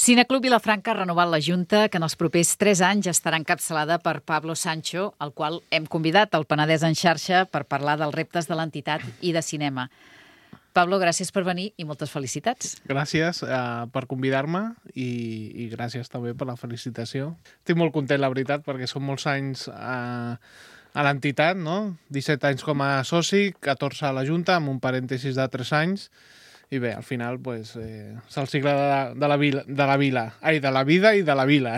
Cineclub Vilafranca ha renovat la Junta, que en els propers 3 anys estarà encapçalada per Pablo Sancho, al qual hem convidat al Penedès en xarxa per parlar dels reptes de l'entitat i de cinema. Pablo, gràcies per venir i moltes felicitats. Gràcies per convidar-me i gràcies també per la felicitació. Estic molt content, la veritat, perquè són molts anys a l'entitat, no? 17 anys com a soci, 14 a la Junta, amb un parèntesis de 3 anys. I bé, al final, és el cicle de la vida i de la vila.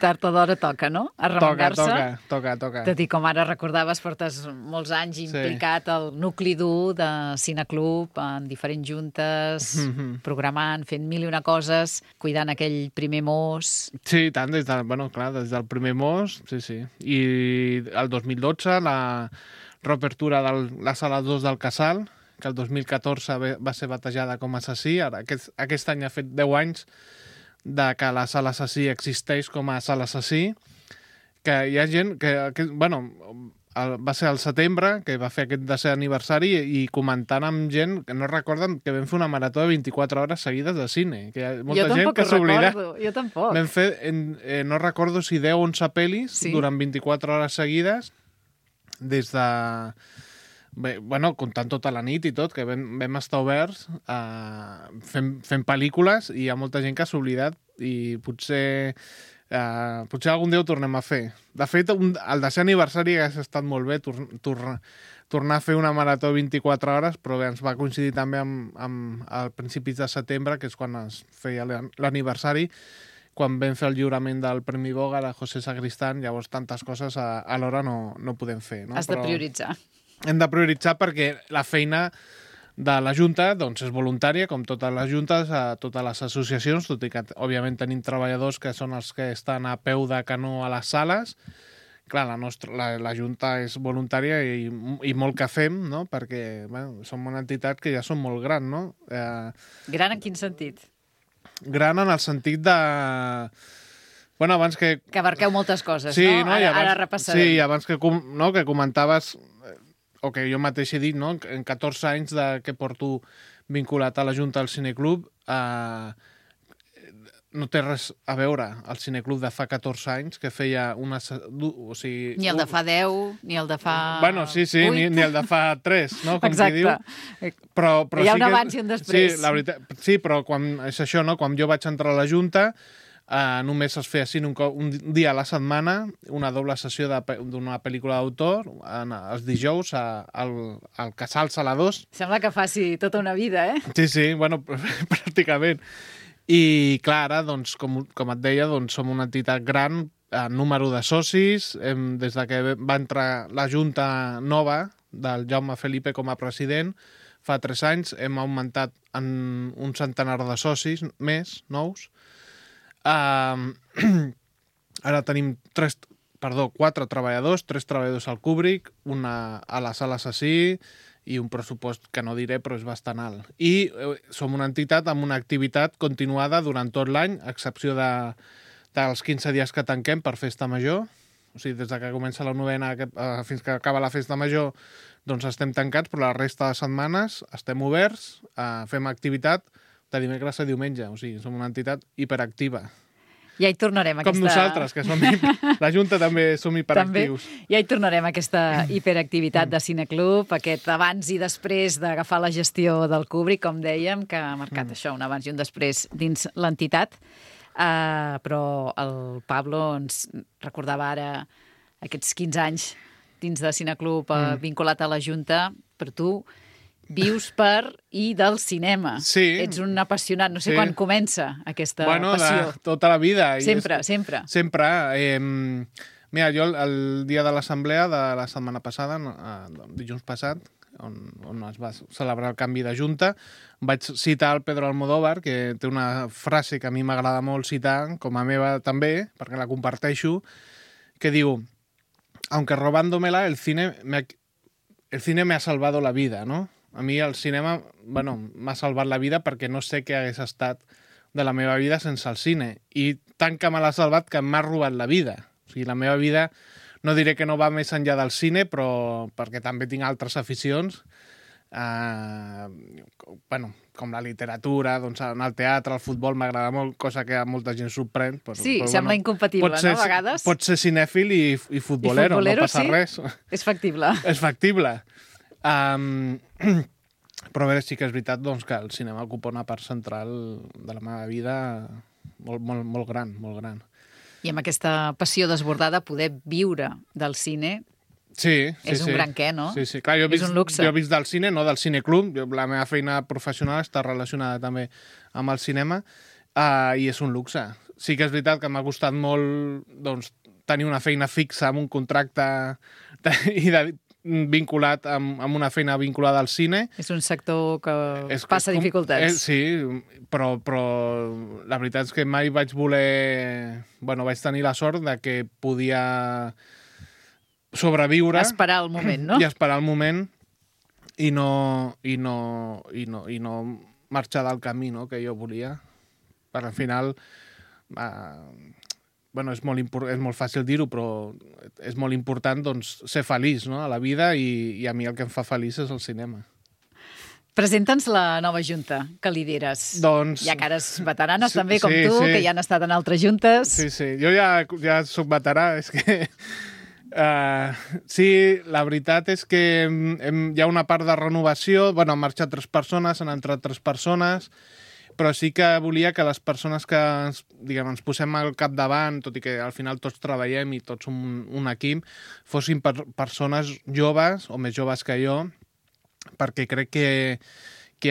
Tard o d'hora toca, no? Arremangar-se. Toca. Tot i com ara recordaves, portes molts anys implicat al nucli dur de Cineclub, en diferents juntes, programant, fent mil i una coses, cuidant aquell primer mos. Sí, tant, des del primer mos, sí. I el 2012, la reobertura de la sala 2 del Casal, que el 2014 va ser batejada com a Assassí. Ara, aquest any ha fet 10 anys que la sala Assassí existeix com a sala Assassí, que hi ha gent va ser al setembre, que va fer aquest 10è aniversari, i comentant amb gent que no recorden que vam fer una marató de 24 hores seguides de cine. Que hi ha molta gent que s'oblida. Jo tampoc. Vam fer, no recordo si 10 o 11 pel·lis durant 24 hores seguides, des de... Bé, comptant tota la nit i tot, que vam estar oberts fent pel·lícules, i hi ha molta gent que s'ha oblidat, i potser algun dia ho tornem a fer. De fet, el 10è aniversari hauria estat molt bé tornar a fer una marató de 24 hores, però bé, ens va coincidir també amb el principis de setembre, que és quan es feia l'aniversari, quan vam fer el lliurament del Premi Boga de José Sacristán. Llavors tantes coses alhora no podem fer. No? Has de prioritzar. Hem de prioritzar perquè la feina de la Junta és voluntària, com totes les juntes, a totes les associacions, tot i que, òbviament, tenim treballadors que són els que estan a peu de canó a les sales. Clar, la Junta és voluntària i molt que fem, no? Perquè som una entitat que ja som molt gran, no? Gran en quin sentit? Gran en el sentit de... abans que... Que abarqueu moltes coses, sí, no? Ara repassarem. Sí, abans que comentaves... o que jo mateix he dit, no? En 14 anys que porto vinculat a la Junta del Cineclub, no té res a veure el Cineclub de fa 14 anys, que feia una... Ni el de fa 10, ni el de fa 8. Sí, ni el de fa 3, no? Com exacte. Però hi ha un abans i un després. Sí, la veritat, sí, però és això, no? Quan jo vaig entrar a la Junta, només es feia un dia a la setmana, una doble sessió d'una pel·lícula d'autor, els dijous al Casal Sala 2. Sembla que faci tota una vida, eh? Sí, pràcticament. I clar, ara, com et deia, som una entitat gran, número de socis. Des de que va entrar la Junta nova del Jaume Felipe com a president, fa 3 anys, hem augmentat en un centenar de socis més, nous. Ara tenim 4 treballadors, 3 treballadors al Kubrick, una a la sala Assassí, i un pressupost que no diré, però és bastant alt. I som una entitat amb una activitat continuada durant tot l'any, a excepció dels 15 dies que tanquem per festa major. O sigui, des que comença la novena fins que acaba la festa major, estem tancats, però la resta de setmanes estem oberts, fem activitat de dimecres a diumenge. O sigui, som una entitat hiperactiva. Ja hi tornarem. Com nosaltres, que som la Junta també som hiperactius. Ja hi tornarem, aquesta hiperactivitat de Cineclub, aquest abans i després d'agafar la gestió del Kubrick, com dèiem, que ha marcat això, un abans i un després dins l'entitat. Però el Pablo ens recordava ara aquests 15 anys dins de Cineclub vinculat a la Junta. Per tu vius per i del cinema. Sí. Ets un apassionat. No sé quan comença aquesta passió. Tota la vida. Sempre. Mira, jo el dia de l'assemblea de la setmana passada, dilluns passat, on es va celebrar el canvi de Junta, vaig citar el Pedro Almodóvar, que té una frase que a mi m'agrada molt citar, com a meva també, perquè la comparteixo, que diu: aunque robándomela, el cine me ha salvado la vida, ¿no? A mi el cinema, m'ha salvat la vida perquè no sé què hagués estat de la meva vida sense el cine. I tant que me l'ha salvat que m'ha robat la vida. O sigui, la meva vida, no diré que no va més enllà del cine, però perquè també tinc altres aficions, bueno, com la literatura, doncs en el teatre, el futbol m'agrada molt, cosa que a molta gent sorprèn. Sí, sembla incompatible, no, a vegades? Pot ser cinèfil i futbolero, no passa res. És factible. És factible. Però bé, sí que és veritat doncs, que el cinema ocupa una part central de la meva vida molt gran, molt gran. I amb aquesta passió desbordada, poder viure del cine és un gran què, no? Sí. Clar, és un luxe. Jo he vist del cine, no del cineclub. La meva feina professional està relacionada també amb el cinema i és un luxe. Sí que és veritat que m'ha costat molt doncs, tenir una feina fixa amb un contracte vinculat amb una feina vinculada al cine. És un sector que passa dificultats. Sí, però la veritat és que mai vaig voler... Bueno, vaig tenir la sort de que podia sobreviure... Esperar el moment, no? I esperar el moment i no marxar del camí, no?, que jo volia. Per al final... Bueno, és molt fàcil dir-ho, però és molt important doncs, ser feliç, no?, a la vida i a mi el que em fa feliç és el cinema. Presenta'ns la nova junta que lideres. Doncs... Hi ha cares veteranes també, com tu, que ja han estat en altres juntes. Sí. Jo ja soc veterà, és que... sí, la veritat és que hi ha una part de renovació. Bueno, han marxat 3 persones, han entrat 3 persones... però sí que volia que les persones que ens posem al capdavant, tot i que al final tots treballem i tots som un equip, fossin persones joves o més joves que jo, perquè crec que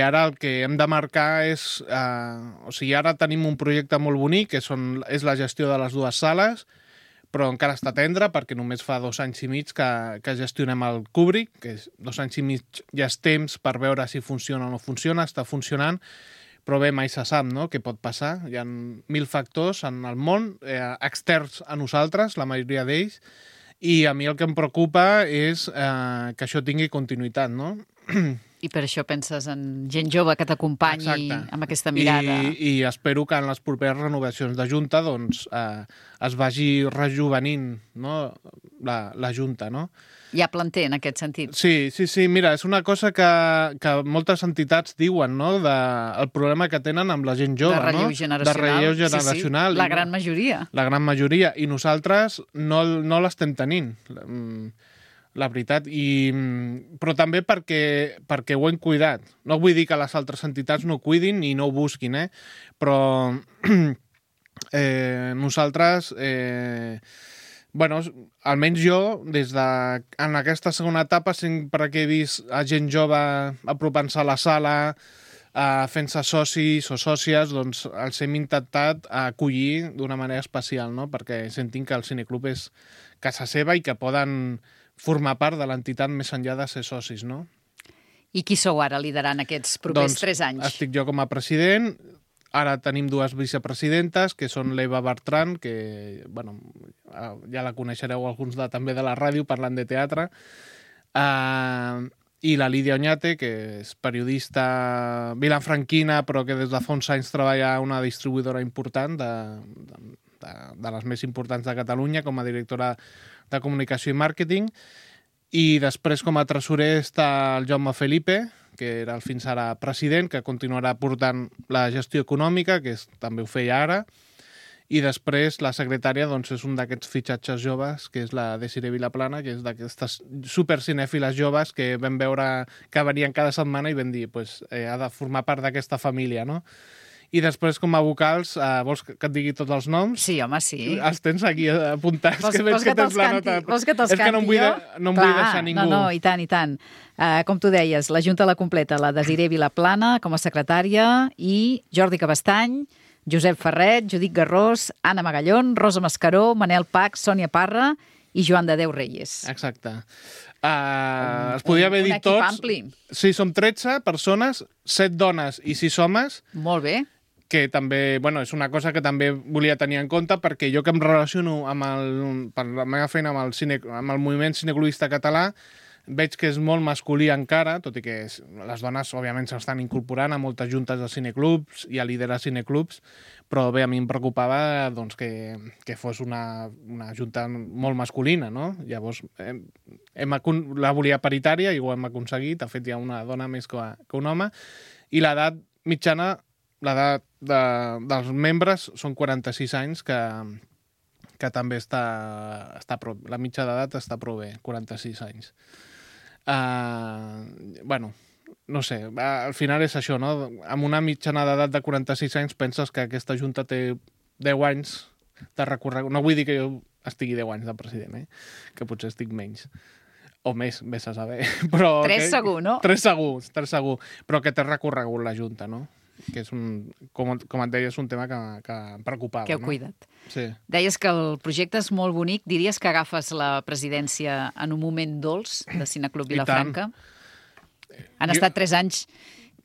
ara el que hem de marcar és... o sigui, ara tenim un projecte molt bonic, que és la gestió de les 2 sales, però encara està tendre, perquè només fa 2 anys i mig que gestionem el Kubrick, que 2 anys i mig ja és temps per veure si funciona o no funciona, està funcionant, però bé, mai se sap, no?, què pot passar. Hi ha 1000 factors en el món, externs a nosaltres, la majoria d'ells, i a mi el que em preocupa és que això tingui continuïtat, no? I per això penses en gent jove que t'acompanyi amb aquesta mirada. I espero que en les properes renovacions de Junta doncs, es vagi rejuvenint, no?, la Junta, no? Hi ha planter en aquest sentit. Sí. Mira, és una cosa que moltes entitats diuen, no?, el problema que tenen amb la gent jove, de relleu generacional. De relleu generacional. Sí. La gran majoria. La gran majoria. I nosaltres no l'estem tenint, la veritat. Però també perquè ho hem cuidat. No vull dir que les altres entitats no cuidin i no ho busquin, però nosaltres... Bueno, almenys jo, en aquesta segona etapa, sempre que he vist a gent jove apropant-se a la sala, fent-se socis o sòcies, doncs els hem intentat acollir d'una manera especial, no?, perquè sentim que el cineclub és casa seva i que poden formar part de l'entitat més enllà de ser socis, no? I qui sou ara liderant aquests propers 3 anys? Doncs estic jo com a president. Ara tenim 2 vicepresidentes, que són l'Eva Bertran, que bueno, ja la coneixereu alguns també de la ràdio, parlant de teatre, i la Lídia Oñate, que és periodista vilanfranquina, però que des de fa uns anys treballa a una distribuïdora important, de les més importants de Catalunya, com a directora de comunicació i màrqueting. I després, com a tresorer, està el Jaume Felipe, que era fins ara president, que continuarà portant la gestió econòmica, que també ho feia ara, i després la secretària doncs, és un d'aquests fitxatges joves, que és la Desiree Vilaplana, que és d'aquestes supercinèfiles joves que vam veure que venien cada setmana i vam dir, pues, ha de formar part d'aquesta família, no? I després, com a vocals, vols que et digui tots els noms? Sí, home, sí. Els tens aquí apuntats, que veig que tens la nota. Vols que te'ls canti? És que no em vull deixar ningú. No, i tant, i tant. Com tu deies, la Junta la completa la Desiree Vilaplana com a secretària i Jordi Cabestany, Josep Ferret, Judit Garrós, Anna Magallón, Rosa Mascaró, Manel Pach, Sònia Parra i Joan de Déu Reyes. Exacte. Es podia haver dit tots. Un equip ampli. Sí, som 13 persones, 7 dones i 6 homes. Molt bé. Que també, bueno, és una cosa que també volia tenir en compte, perquè jo que em relaciono per la meva feina amb el moviment cineclubista català, veig que és molt masculí encara, tot i que les dones, òbviament, s'estan incorporant a moltes juntes de cineclubs i a liderar cineclubs, però bé, a mi em preocupava doncs, que fos una junta molt masculina, no? Llavors, la volia paritària i ho hem aconseguit. De fet, hi ha una dona més que un home. I l'edat mitjana, l'edat dels membres són 46 anys, que també està la mitja d'edat està prou bé, 46 anys. Bueno, no sé, al final és això, no? Amb una mitjana d'edat de 46 anys penses que aquesta junta té 10 anys de recorregut. No vull dir que jo estigui 10 anys de president, que potser estic menys. O més, vés a saber. Però 3 segur, no? 3 segur. Però que té recorregut la junta, no? Que és com et deia, és un tema que em preocupava. Que heu cuidat. Sí. Deies que el projecte és molt bonic. Diries que agafes la presidència en un moment dolç de Cineclub Vilafranca? Han estat 3 anys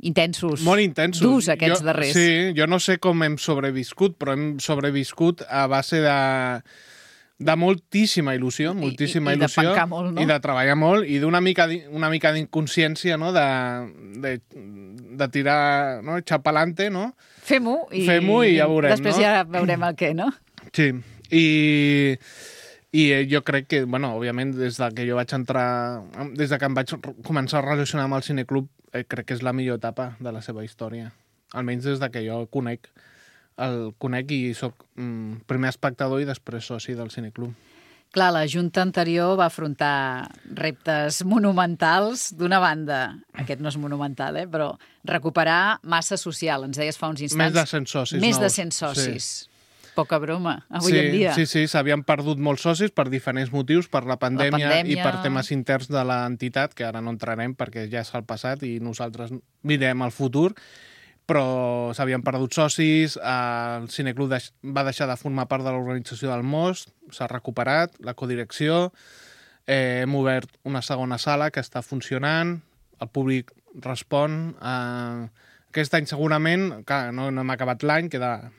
intensos. Molt intensos. Durs, aquests darrers. Sí, jo no sé com hem sobreviscut, però hem sobreviscut a base de moltíssima il·lusió, moltíssima il·lusió. I de pencar molt, no? I de treballar molt, i d'una mica d'inconsciència, no? De tirar, no? Echar pa'lante, no? Fem-ho i ja veurem, després ja veurem el què, no? Sí, i jo crec que, bueno, òbviament, des de que jo vaig entrar, des de que em vaig començar a relacionar amb el cineclub, crec que és la millor etapa de la seva història. Almenys des de que jo el conec i soc primer espectador i després soci del cineclub. Clar, la Junta anterior va afrontar reptes monumentals. D'una banda, aquest no és monumental, però recuperar massa social. Ens deies fa uns instants. Més de 100 socis. Més de 100 socis. Sí. Poca broma, avui en dia. Sí, s'havien perdut molts socis per diferents motius, per la pandèmia i per temes interns de l'entitat, que ara no entrarem perquè ja és el passat i nosaltres mirem el futur, però s'havien perdut socis, el cineclub va deixar de formar part de l'organització del Most, s'ha recuperat la codirecció, hem obert una segona sala que està funcionant, el públic respon. Aquest any segurament, clar, no hem acabat l'any, queda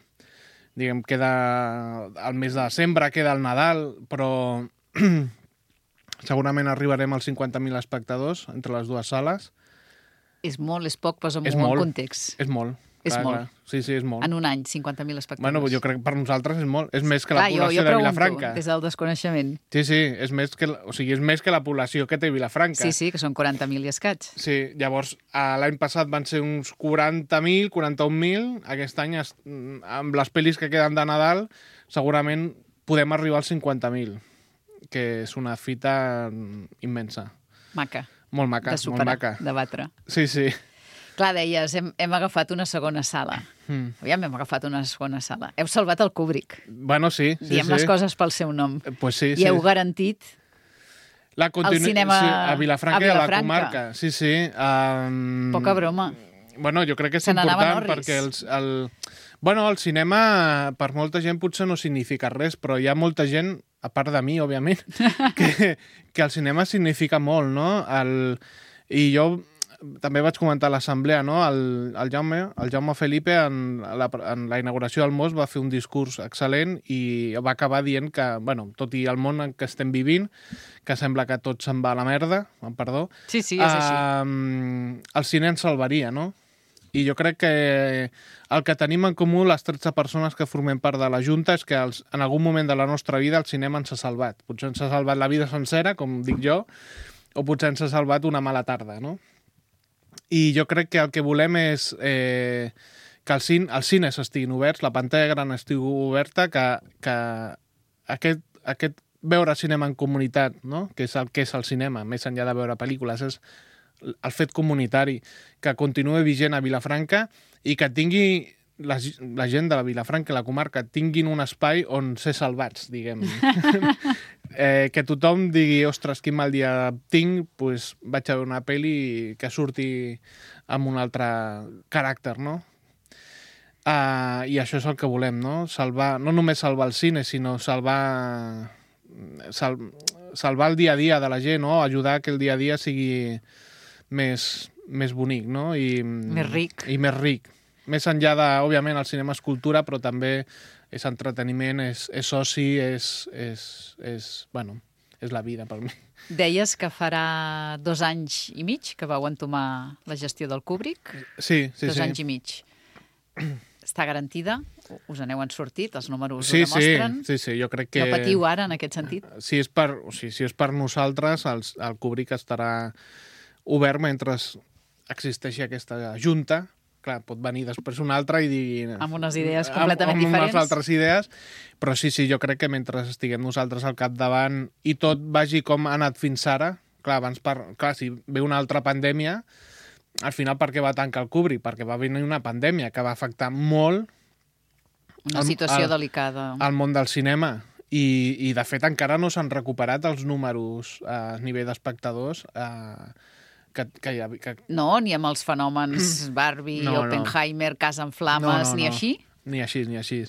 el mes de desembre, queda el Nadal, però segurament arribarem als 50.000 espectadors entre les dues sales. És molt, és poc, posa'm-ho en context. És molt. És molt. Sí, és molt. En un any, 50.000 espectadors. Bueno, jo crec que per nosaltres és molt. És més que la població de Vilafranca. Jo pregunto, des del desconeixement. Sí, és més que la població que té Vilafranca. Sí, que són 40.000 i escaig. Sí, llavors l'any passat van ser uns 40.000, 41.000. Aquest any, amb les pel·lis que queden de Nadal, segurament podem arribar als 50.000, que és una fita immensa. Maca. Molt maca, de superar, molt maca. De batre. Sí. Clar, deies, hem agafat una segona sala. Aviam, hem agafat una segona sala. Heu salvat el Kubrick. Bueno, sí. Diem les coses pel seu nom. Pues sí. I heu garantit el cinema a Vilafranca i a la comarca. Sí. Poca broma. Bueno, jo crec que és important perquè el cinema per molta gent potser no significa res, però hi ha molta gent, a part de mi, òbviament, que el cinema significa molt, no? I jo també vaig comentar a l'assemblea, no? El Jaume Felipe, en la inauguració del Most, va fer un discurs excel·lent i va acabar dient que, bueno, tot i el món en què estem vivint, que sembla que tot se'n va a la merda, amb perdó, sí, és així. El cine ens salvaria, no? I jo crec que el que tenim en comú les 13 persones que formem part de la Junta és que en algun moment de la nostra vida el cinema ens ha salvat. Potser ens ha salvat la vida sencera, com dic jo, o potser ens ha salvat una mala tarda, no? I jo crec que el que volem és que els cines estiguin oberts, la pantalla gran estigui oberta, que aquest veure cinema en comunitat, no? Que és el cinema, més enllà de veure pel·lícules, és el fet comunitari, que continuï vigent a Vilafranca i que tingui la gent de la Vilafranca i la comarca tinguin un espai on ser salvats, diguem. Que tothom digui, ostres, quin mal dia tinc, doncs vaig a veure una pel·li que surti amb un altre caràcter, no? I això és el que volem, no? No només salvar el cine, sinó salvar el dia a dia de la gent, no? Ajudar que el dia a dia sigui més bonic, no? Més ric. I més ric. Més enllà de, òbviament, el cinema és cultura, però també és entreteniment, és oci, bueno, és la vida per mi. Deies que farà 2 anys i mig que vau entomar la gestió del Kubrick. Sí. 2 anys i mig. Està garantida? Us n'heu sortit? Els números ho Sí, demostren? sí, jo crec que... No patiu ara, en aquest sentit? Si és per nosaltres, el Kubrick estarà obert mentre existeixi aquesta junta. Clar, pot venir després una altra i dir... Amb unes idees completament diferents. Amb unes altres idees, però sí, jo crec que mentre estiguem nosaltres al capdavant i tot vagi com ha anat fins ara, clar, si ve una altra pandèmia, al final per què va tancar el Kubrick? Perquè va venir una pandèmia que va afectar molt una situació delicada al món del cinema. I de fet encara no s'han recuperat els números a nivell d'espectadors No, ni amb els fenòmens Barbie, Oppenheimer, Casa en Flames, ni així? Ni així.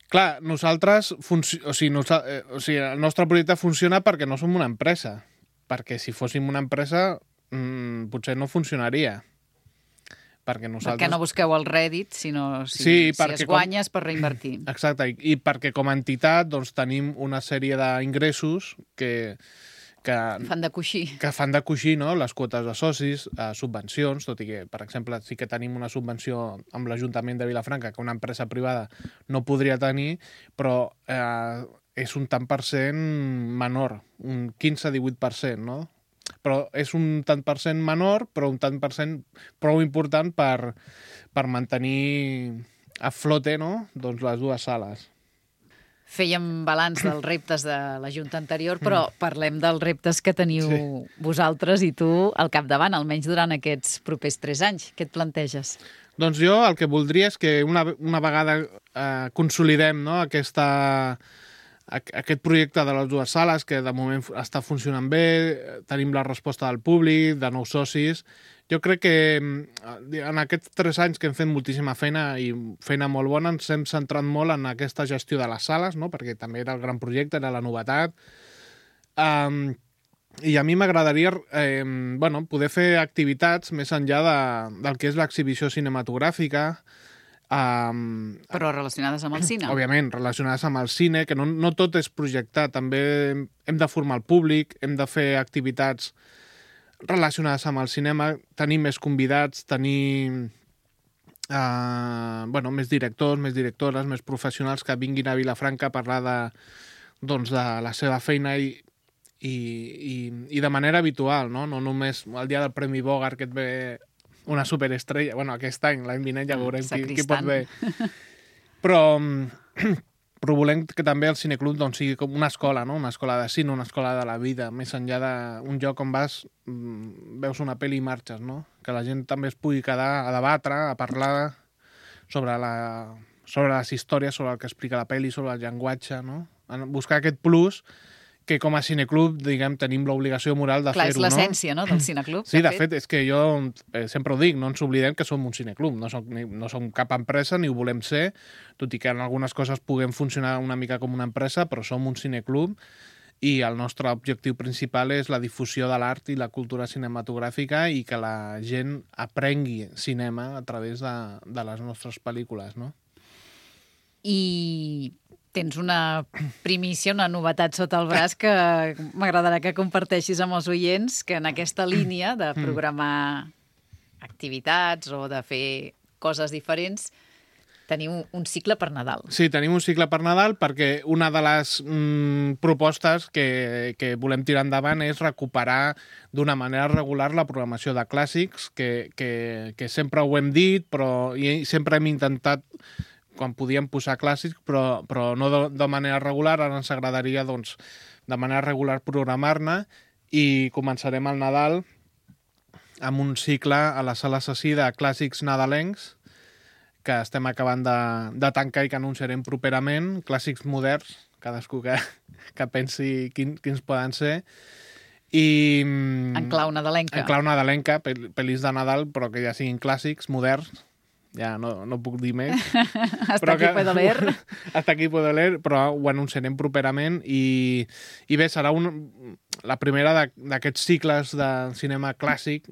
Clar, nosaltres... el nostre projecte funciona perquè no som una empresa. Perquè si fóssim una empresa potser no funcionaria. Perquè no busqueu el rèdit, sinó si es guanya és per reinvertir. Exacte, i perquè com a entitat doncs, tenim una sèrie d'ingressos que fan de coixí. Que fan de coixí, no? Les quotes de socis, subvencions, tot i que, per exemple, sí que tenim una subvenció amb l'Ajuntament de Vilafranca que una empresa privada no podria tenir, però és un tant per cent menor, un 15-18%, no? Però és un tant per cent menor, però un tant per cent prou important per mantenir a flote, no? Doncs les dues sales. Fèiem balanç dels reptes de la Junta anterior, però parlem dels reptes que teniu vosaltres i tu al capdavant, almenys durant aquests propers 3 anys. Què et planteges? Doncs jo el que voldria és que una vegada consolidem, no, aquest projecte de les dues sales, que de moment està funcionant bé, tenim la resposta del públic, de nous socis. Jo crec que en aquests 3 anys que hem fet moltíssima feina i feina molt bona, ens hem centrat molt en aquesta gestió de les sales, no? Perquè també era el gran projecte, era la novetat. I a mi m'agradaria poder fer activitats més enllà del que és l'exhibició cinematogràfica, però relacionades amb el cine. Òbviament, relacionades amb el cine, que no tot és projectar, també hem de formar el públic, hem de fer activitats relacionades amb el cinema, tenir més convidats, tenir més directors, més directores, més professionals que vinguin a Vilafranca a parlar de la seva feina i de manera habitual, no només el dia del Premi Bogart que et ve una superestrella, aquest any, l'any vinent ja veurem qui pot bé. Però volem que també el cineclub sigui com una escola, no? Una escola de cine, una escola de la vida, més enllà d'un lloc on vas, veus una pel·li i marxes, no? Que la gent també es pugui quedar a debatre, a parlar sobre les històries, sobre el que explica la pel·li, sobre el llenguatge, no? Buscar aquest plus que com a cineclub, diguem, tenim l'obligació moral de fer-ho, no? Clar, és l'essència, no?, del cineclub. Sí, de fet, és que jo sempre ho dic, no ens oblidem que som un cineclub, no som cap empresa ni ho volem ser, tot i que en algunes coses puguem funcionar una mica com una empresa, però som un cineclub i el nostre objectiu principal és la difusió de l'art i la cultura cinematogràfica i que la gent aprengui cinema a través de les nostres pel·lícules, no? I tens una primícia, una novetat sota el braç que m'agradarà que comparteixis amb els oients, que en aquesta línia de programar activitats o de fer coses diferents teniu un cicle per Nadal. Sí, tenim un cicle per Nadal perquè una de les propostes que volem tirar endavant és recuperar d'una manera regular la programació de clàssics, que sempre ho hem dit, però sempre hem intentat quan podíem posar clàssics, però no de manera regular. Ara ens agradaria, doncs, de manera regular programar-ne i començarem el Nadal amb un cicle a la Sala Assassí de clàssics nadalencs que estem acabant de tancar i que anunciarem properament, clàssics moderns, cadascú que pensi quins poden ser. I en clau nadalenca. En clau nadalenca, pel·lis de Nadal, però que ja siguin clàssics moderns. Ja no puc dir més. Hasta aquí puedo leer. Hasta aquí puedo leer, però ho anunciarem properament i bé, serà la primera d'aquests cicles de cinema clàssic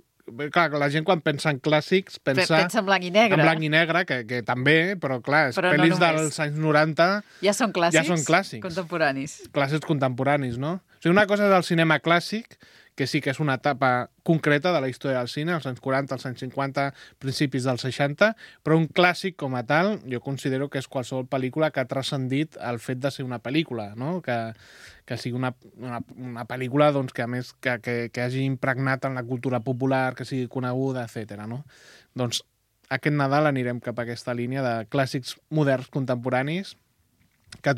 Clar, la gent quan pensa en clàssics pensa en blanc i negre. En blanc i negre, que també, però clar, Però pel·lis no només. dels anys 90 Ja són clàssics? Ja són clàssics. Contemporanis. Clàssics contemporanis, no? O sigui, una cosa és el cinema clàssic, que sí que és una etapa concreta de la història del cine, als anys 40, als anys 50, principis dels 60, però un clàssic com a tal, jo considero que és qualsevol pel·lícula que ha transcendit el fet de ser una pel·lícula, no? Que sigui una pel·lícula doncs, que a més que hagi impregnat en la cultura popular, que sigui coneguda, etc. No? Doncs aquest Nadal anirem cap a aquesta línia de clàssics moderns contemporanis que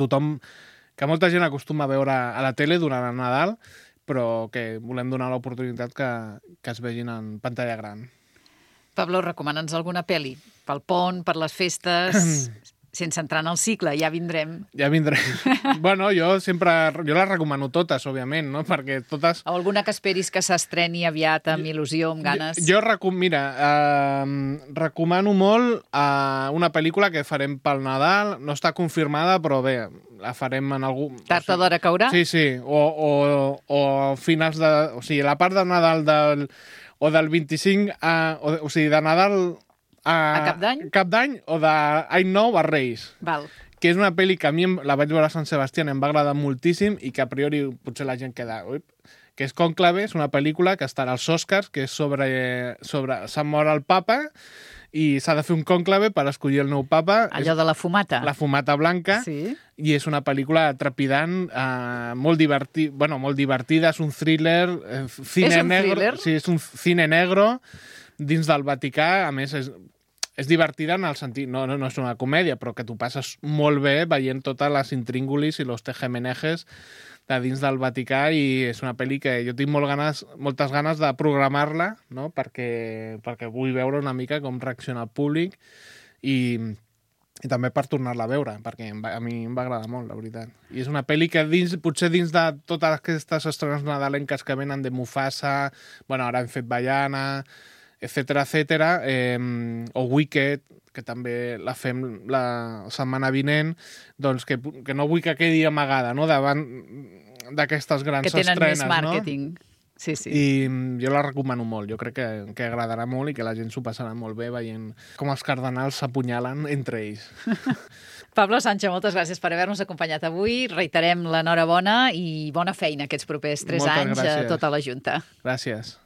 molta gent acostuma a veure a la tele durant el Nadal, però que volem donar l'oportunitat que es vegin en pantalla gran. Pablo, recomana'ns alguna pel·li pel pont, per les festes, sense entrar en el cicle, ja vindrem. Ja vindrem. Bueno, jo les recomano totes, òbviament, no? Perquè totes... O alguna que esperis que s'estreni aviat amb il·lusió, amb ganes? Jo recomano molt una pel·lícula que farem pel Nadal, no està confirmada, però bé, la farem en algun... Tard o d'hora caurà? Sí, o finals de... O sigui, la part de Nadal o del 25... o sigui, de Nadal... A Cap d'Any? Cap d'Any o d'Any Nou a Reis. Val. Que és una pel·li que a mi la vaig veure a Sant Sebastià, em va agradar moltíssim i que a priori potser la gent queda... Que és Cònclave, és una pel·lícula que estarà als Oscars, que és sobre s'ha mort el papa i s'ha de fer un cònclave per escollir el nou papa. Allò de la fumata. La fumata blanca. Sí. I és una pel·lícula trepidant, molt divertida, és un thriller. És un thriller? Sí, és un cine negro dins del Vaticà. A més, és divertida en el sentit... No és una comèdia, però que t'ho passes molt bé veient totes les intríngulis i los tejemenejes de dins del Vaticà, i és una pel·li que jo tinc moltes ganes de programar-la, no? perquè vull veure una mica com reacciona el públic i també per tornar-la a veure, perquè a mi em va agradar molt, la veritat. I és una pel·li que potser dins de totes aquestes estrenes nadalenques que venen de Mufasa, bueno, ara hem fet Vaiana, etcètera, o Wicked, que també la fem la setmana vinent, doncs que no vull que quedi amagada, no?, davant d'aquestes grans estrenes. Que tenen més màrqueting. No? Sí. I jo la recomano molt, jo crec que agradarà molt i que la gent s'ho passarà molt bé veient com els cardenals s'apunyalen entre ells. Pablo Sancho, moltes gràcies per haver-nos acompanyat avui. Reiterem l'enhorabona i bona feina aquests propers 3 anys a tota la Junta. Gràcies.